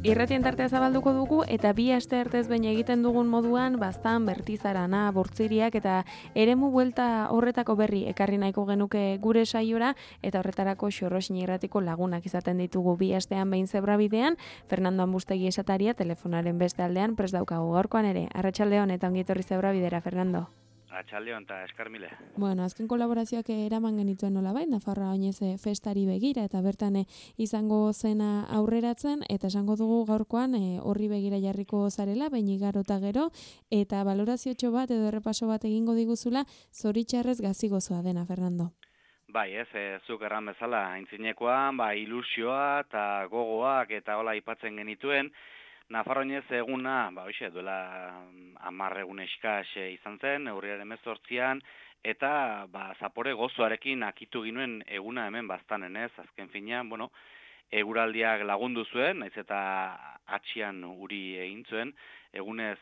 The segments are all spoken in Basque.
Irratien tartea zabalduko dugu eta bi aste artez behin egiten dugun moduan baztan bertizarana, bortziriak eta eremu buelta horretako berri ekarri nahiko genuke gure saiora eta horretarako Xorroxin irratiko lagunak izaten ditugu bi astean behin zebrabidean, Fernando Ambustegi esataria telefonaren beste aldean prest daukagu gaurkoan ere. Arratsaldeon eta ongi etorri zebrabidera, Fernando. Atxaldeon eta eskarmile. Bueno, azken kolaborazioak eraman genituen nolabait, Nafarroa oinez festari begira eta bertan izango zena aurreratzen eta esango dugu gaurkoan horri begira jarriko zarela, behin igarota gero eta baloraziotxo bat edo errepaso bat egingo diguzula zoritxarrez gazi gozoa dena, Fernando. Bai, zuk erran bezala, aintzinekoan, ilusioa eta gogoak eta hola aipatzen genituen, Nafarroinez eguna, duela 10 egun eskas izan zen, urriaren 18an, eta zapore gozoarekin akitu ginuen eguna hemen baztanen ez, azken finean, eguraldiak lagundu zuen, naiz eta atxian uri egin zuen, egunez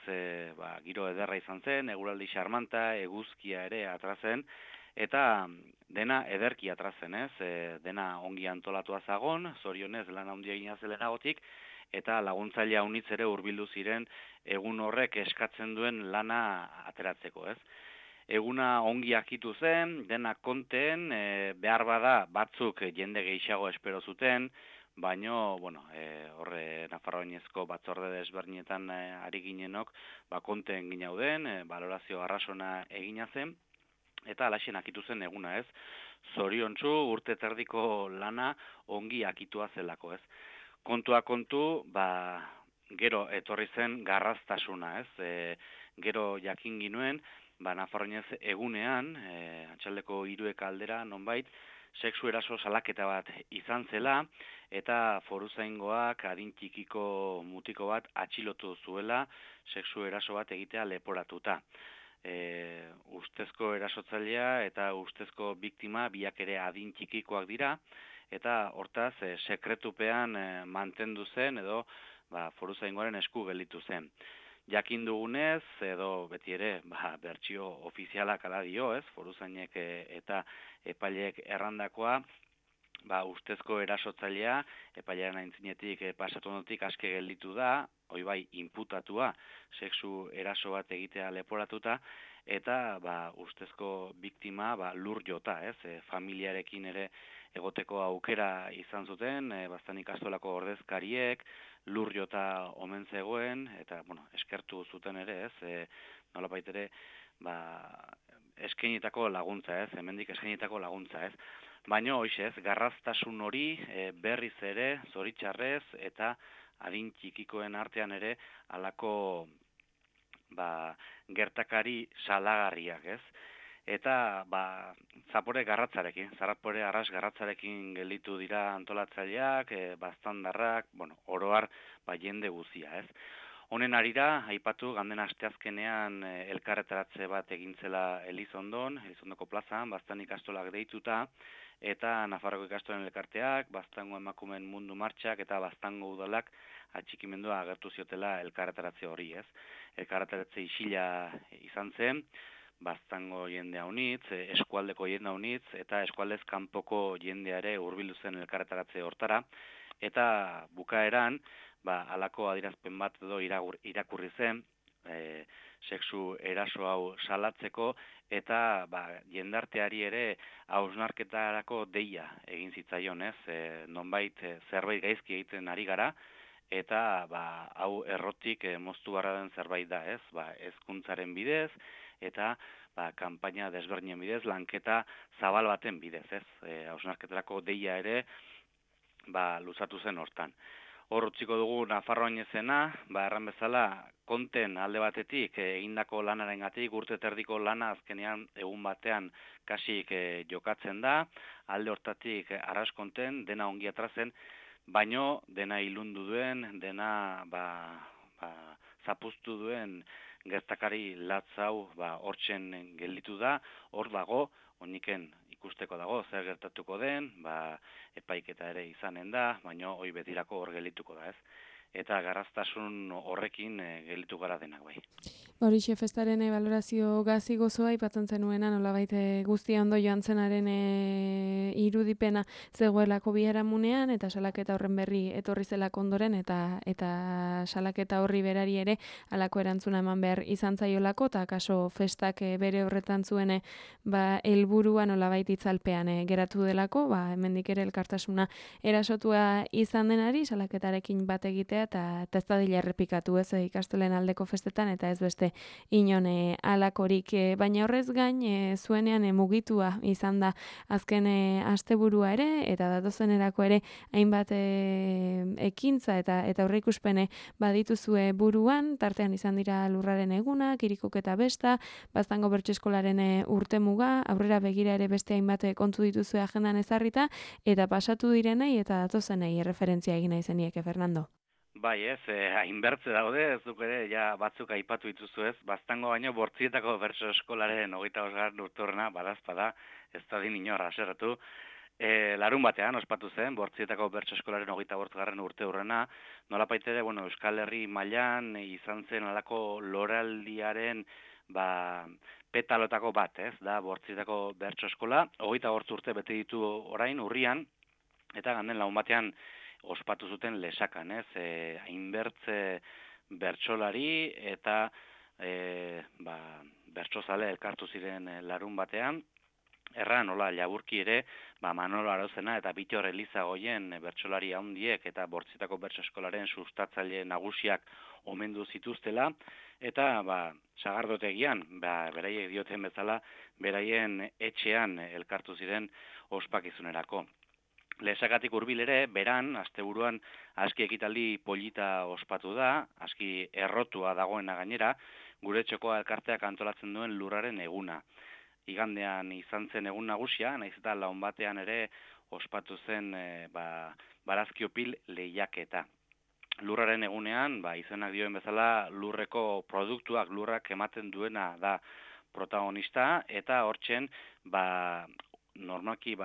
giro ederra izan zen, eguraldi xarmanta, eguzkia ere atrazen, eta dena ederki atrazen ez, dena ongi antolatua zagon, zorionez lan handia egina zelenagotik, eta laguntzailea unitz ere hurbildu ziren egun horrek eskatzen duen lana ateratzeko, ez? Eguna ongi akitu zen, dena konten, behar bada batzuk jende gehiago espero zuten, baino, horre Nafarroinezko batzorde desberdinetan ari ginenok, konten ginauden, balorazio arrasona egina zen, eta alaxen akitu zen eguna, ez? Zoriontsu urte terdiko lana ongi akitua zelako, ez? Kontua kontu, gero etorri zen garraztasuna, ez? Gero jakin ginuen, Nafarroinez egunean, atxaldeko 3 aldera nonbait, sexu eraso salaketa bat izan zela, eta foruzaingoak adin txikiko mutiko bat atxilotu zuela, sexu eraso bat egitea leporatuta. Ustezko erasotzailea eta ustezko biktima biak ere adin txikikoak dira, eta hortaz sekretupean mantendu zen edo foruzaingoaren esku gelditu zen. Jakin dugunez, edo beti ere bertsio ofizialak ala dio, ez, foruzainek eta epaileek errandakoa, ustezko erasotzailea, epailearen aintzinetik pasatu ondotik aske gelditu da, hoi bai, inputatua, sexu eraso bat egitea leporatuta, eta ustezko biktima lur jota, ez, familiarekin ere egoteko aukera izan zuten, baztan ikastolako ordezkariek, lur jota omen zegoen, eta, eskertu zuten ere, ez, nolapait ere, eskainitako laguntza, ez, hemendik eskainitako laguntza, ez. Baina, hoxez, garraztasun hori berriz ere, zoritxarrez, eta adin txikikoen artean ere, halako gertakari salagarriak, ez. Eta, zapore arras garratzarekin gelditu dira antolatzaileak, baztandarrak, oroar, jende guzia, ez. Honen arira, aipatu, ganden asteazkenean elkarretaratze bat egintzela Elizondoko plazan, baztan ikastolak deituta, eta Nafarroko ikastolen elkarteak, baztango emakumen mundu martxak eta baztango udalak atxikimendua agertu ziotela elkarretaratze hori, ez. Elkarretaratze isila izan zen, baztango jendea unitz, eskualdeko jendea unitz, eta eskualdez kanpoko jendeare hurbildu zen elkarretaratze hortara, eta bukaeran, halako adierazpen bat edo irakurri zen, sexu eraso hau salatzeko, eta jendarteari ere hausnarketarako deia egin zitzaion, ez, nonbait zerbait gaizki egiten ari gara, eta hau errotik moztu barra den zerbait da, ez, hezkuntzaren bidez, eta kanpaina desberdinen bidez, lanketa zabal baten bidez, ez, hausnarketarako deia ere luzatu zen hortan. Hor utziko dugu Nafarroinezena, erran bezala, konten alde batetik egindako lanarengatik, urte terdiko lana azkenean egun batean kasik jokatzen da, alde hortatik arras konten, dena ongi atrazen, baino dena ilundu duen, dena zapuztu duen gertakari latzau hortzen gelditu da, hor dago, oniken ikusteko dago, zer gertatuko den, epaiketa ere izanen da, baino hoi betirako hor geldituko da, ez. eta garraztasun horrekin gelditu gara denak bai. Horixe festaren balorazio gazi gozoa aipatzen zenuena, nolabait guztia ondo joan zenaren irudipena zegoelako biharamunean, eta salaketa horren berri etorri zelako ondoren, eta salaketa horri berari ere halako erantzuna eman behar izan zaiolako, eta kaso festak bere horretan zuen helburua nolabait itzalpean geratu delako, hemendik ere elkartasuna erasotua izan denari, salaketarekin bat egitea, eta ez dadila errepikatu ez ikastolen aldeko festetan, eta ez beste inon alakorik, baina horrez gain zuenean mugitua izan da azken asteburua ere, eta datozenerako ere hainbat ekintza eta aurreikuspene badituzue buruan, tartean izan dira lurraren eguna, kirikok eta besta, Baztango bertseskolaren urtemuga, aurrera begira ere beste hainbat kontu dituzue agendan ezarrita, eta pasatu direnei eta datozenei referentzia egin nahi zenieke, Fernando. Bai ez, hainbertze daude, ez duk ere, ja batzuk aipatu dituzu ez, Baztango baino Bortzietako bertso eskolaren 25. urteurrena, badazpada, ez da din inor haserretu, larun batean ospatu zen, Bortzietako bertso eskolaren 25. urteurrena, nolapait ere, Euskal Herri mailan izan zen alako loraldiaren, petalotako bat, ez, da Bortzietako bertso eskola, 25 urte bete ditu orain, urrian, eta ganden lagun batean, ospatu zuten lesakan, ez? Hainbertze bertsolari eta bertsozale elkartu ziren larun batean. Erran, nola, laburki ere, Manolo Arozena eta Bittor Elizagoien bertsolari handiek eta Bortzietako bertso eskolaren sustatzaile nagusiak omendu zituztela, eta sagardotegian, beraiek dioten bezala, beraien etxean elkartu ziren ospakizunerako. Lesakatik hurbil ere, beran, asteburuan aski ekitaldi polita ospatu da, aski errotua dagoena gainera, gure txokoa elkarteak antolatzen duen lurraren eguna. Igandean izan zen egun nagusia, naiz eta laun batean ere ospatu zen barazkiopil lehiaketa. Lurraren egunean, izenak dioen bezala, lurreko produktuak lurrak ematen duena da protagonista, eta hortzen, normalki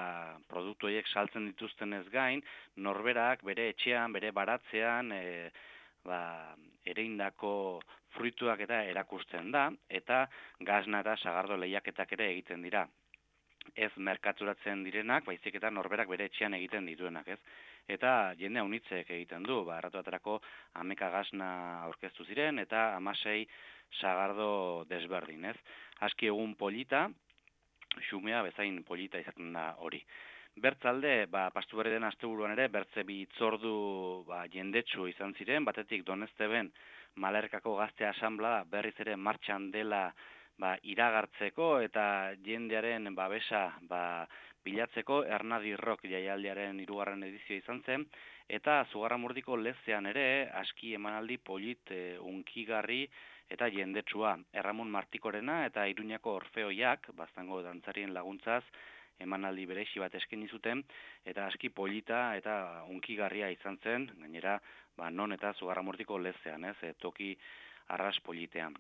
produktu horiek saltzen dituztenez gain, norberak bere etxean, bere baratzean ereindako fruituak eta erakusten da, eta gazna eta sagardo lehiaketak ere egiten dira. Ez merkaturatzen direnak, baizik eta norberak bere etxean egiten dituenak, ez? Eta jende haunitzek egiten du, erratu aterako 11 gazna aurkeztu ziren, eta 16 sagardo desberdin, ez? Aski egun polita, xumea bezain polita izaten da hori. Bertzalde, pastu berri den asteburuan ere, bertze bi itzordu jendetsu izan ziren, batetik Donezteben Malerkako Gazte Asanblada berriz ere martxan dela iragartzeko eta jendearen babesa bilatzeko Ernadi Rock jaialdiaren 3. edizio izan zen, eta Zugarramurdiko lezean ere aski emanaldi polit unkigarri eta jendetsua. Erramon Martikorena eta Iruñako Orfeoiak, Baztango dantzarien laguntzaz, emanaldi berezi bat eskaini zuten, eta aski polita eta unkigarria izan zen, gainera, non eta Zugarramurdiko lezean, ez, toki arras politean.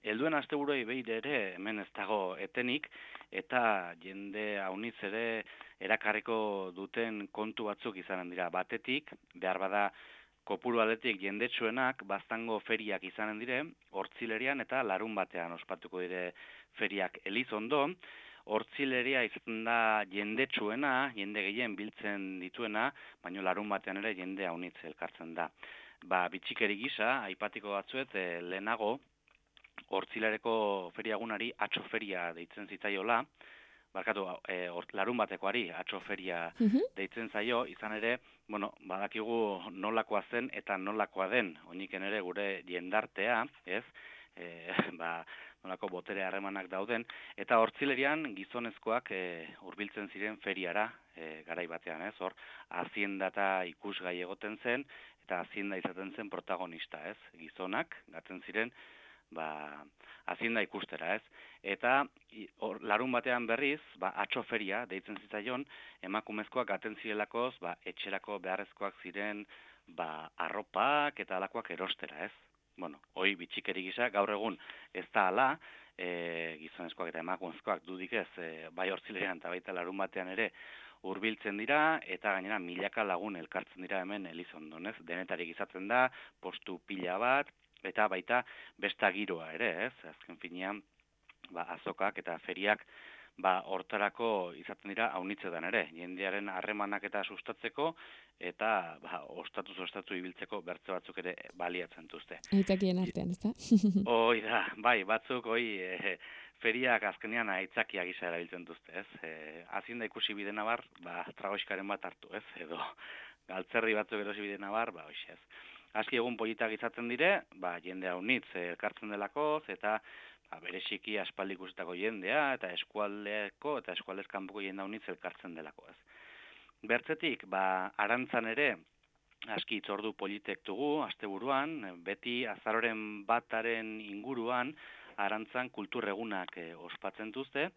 Helduen asteburuei behin ere hemen ez dago etenik, eta jende haunitz ere erakarriko duten kontu batzuk izanen dira. Batetik, behar bada kopuru aldetik jendetsuenak Baztango feriak izanen dire, Hortzilerian eta larun batean ospatuko dire feriak. Elizondo, Hortzileria izaten da jendetsuena, jende gehien biltzen dituena, baina larun batean ere jende haunitz elkartzen da. Bitxikeri gisa, aipatiko batzuet, lehenago, Hortzilereko feriagunari atxo feria deitzen zitzaiola, larun batekoari atxo feria deitzen zaio, izan ere, badakigu nolakoa zen eta nolakoa den, oiniken ere gure jendartea, ez, nolako botere harremanak dauden, eta Hortzilerian gizonezkoak hurbiltzen ziren feriara garai batean, ez, hor, hazienda eta ikusgai egoten zen, eta hazienda izaten zen protagonista, ez, gizonak gaten ziren, hazienda ikustera, ez? Eta larun batean berriz, atxo feria deitzen zitzaion, emakumezkoak gaten zirelakoz, etxerako beharrezkoak ziren, arropak eta alakoak erostera, ez? Hoi bitxikeri gisa, gaur egun ez da ala, gizonezkoak eta emakumezkoak dudik ez, bai Hortzilerian eta baita larun batean ere hurbiltzen dira, eta gainera milaka lagun elkartzen dira hemen Elizondon, ez? Denetarik izaten da, postu pila bat, eta baita besta giroa ere, ez? Azken finean, azokak eta feriak hortarako izaten dira haunitzetan ere, jendearen harremanak eta sustatzeko, eta ostatu ibiltzeko bertze batzuk ere baliatzen duzte. Aitzakien artean, ez da? Hoi da, bai, batzuk, feriak azkenean aitzakia gisa erabiltzen duzte, ez? Azien da ikusi bidena bar, tragoiskaren bat hartu, ez? Edo galtzerri batzuk erosi bidena bar, hoxe ez. Aski egun politak izaten dire, jende haunitz elkartzen delakoz, eta bereziki aspaldi ikusetako jendea, eta eskualdeko eta eskualdez kanpoko jende haunitz elkartzen delako, ez. Bertzetik, arantzan ere, aski itzordu politek dugu, asteburuan, beti azaroren bataren inguruan, arantzan kulturregunak ospatzen duzte,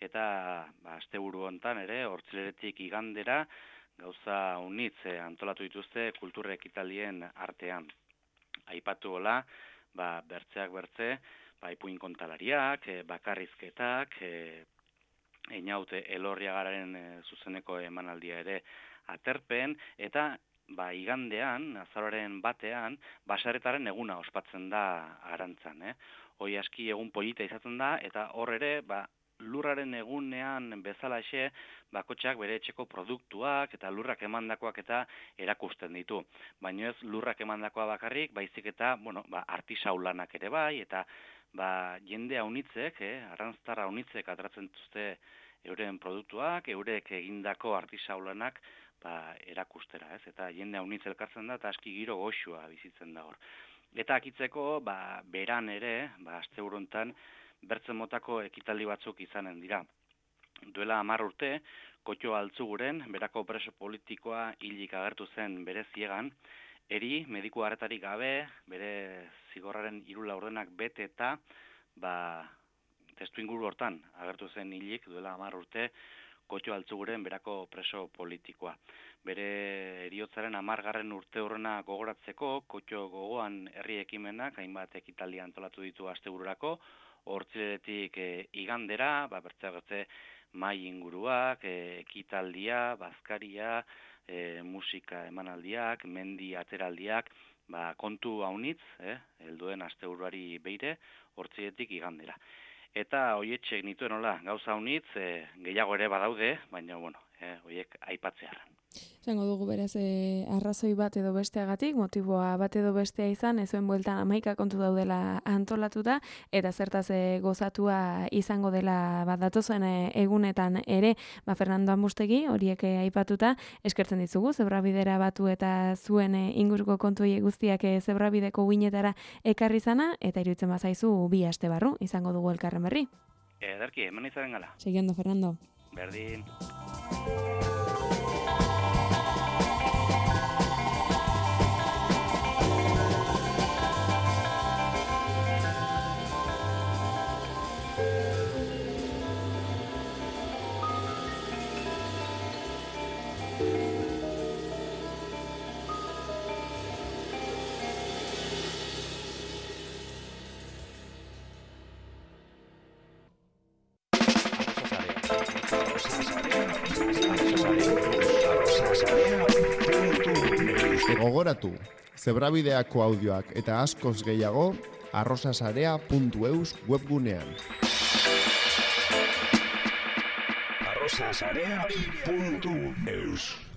eta asteburu hontan ere, hortzileretik igandera, gauza unitz antolatu dituzte kulturre ekitaldien artean. Aipatu hola, bertzeak bertze, ipuin kontalariak, bakarrizketak, Einaute Elorriagaren zuzeneko emanaldia ere aterpen, eta igandean, azaroaren batean, baserritarren eguna ospatzen da arantzan. Hoi aski egun polita izaten da, eta hor ere, lurraren egunean bezalaxe, bakotxak bere etxeko produktuak eta lurrak emandakoak eta erakusten ditu. Baina ez lurrak emandakoa bakarrik, baizik eta, artisaulanak ere bai, eta jende haunitzek, arrantztar haunitzek atratzen duzte euren produktuak, eurek egindako artisaulanak erakustera, ez? Eta jende haunitz elkartzen da, eta aski giro goxua bizitzen da hor. Eta akitzeko, beran ere, asteburu hontan, bertzen motako ekitaldi batzuk izanen dira. Duela 10 urte, Kotxo Altzuguren, berako preso politikoa hilik agertu zen bere ziegan, eri mediku harretarik gabe, bere zigorraren 3 laurdenak bete eta, testu inguru hortan agertu zen hilik duela 10 urte, Kotxo Altzuguren berako preso politikoa. Bere heriotzaren 10. urte horrena gogoratzeko, Kotxo gogoan herri ekimenak, hainbat ekitaldi antolatu ditu astebururako, hortzileretik igandera, bertze mai inguruak, ekitaldia, bazkaria, musika emanaldiak, mendi ateraldiak, kontu haunitz, helduen asteburuari beire, hortzileretik igandera. Eta hoietxek nituen hola, gauza haunitz, gehiago ere badaude, baina, hoiek aipatzearen. Zango dugu beraz, arrazoi bat edo besteagatik, motiboa bat edo bestea izan, ezuen bueltan 11 kontu daudela antolatuta, eta zertaz gozatua izango dela datozen egunetan ere, Fernando Amustegi, horiek aipatuta, eskertzen ditzugu, zebrabidera batu eta zuen inguruko kontuei guztiak zebrabideko uinetara ekarri zana, eta iruditzen bazaizu 2 aste barru, izango dugu elkarren berri. Ederki, hemen izaren gala. Seguindo, Fernando. Berdin. Gogoratu, zebrabideako audioak eta askoz gehiago arrosasarea.eus webgunean. arrosasarea.eus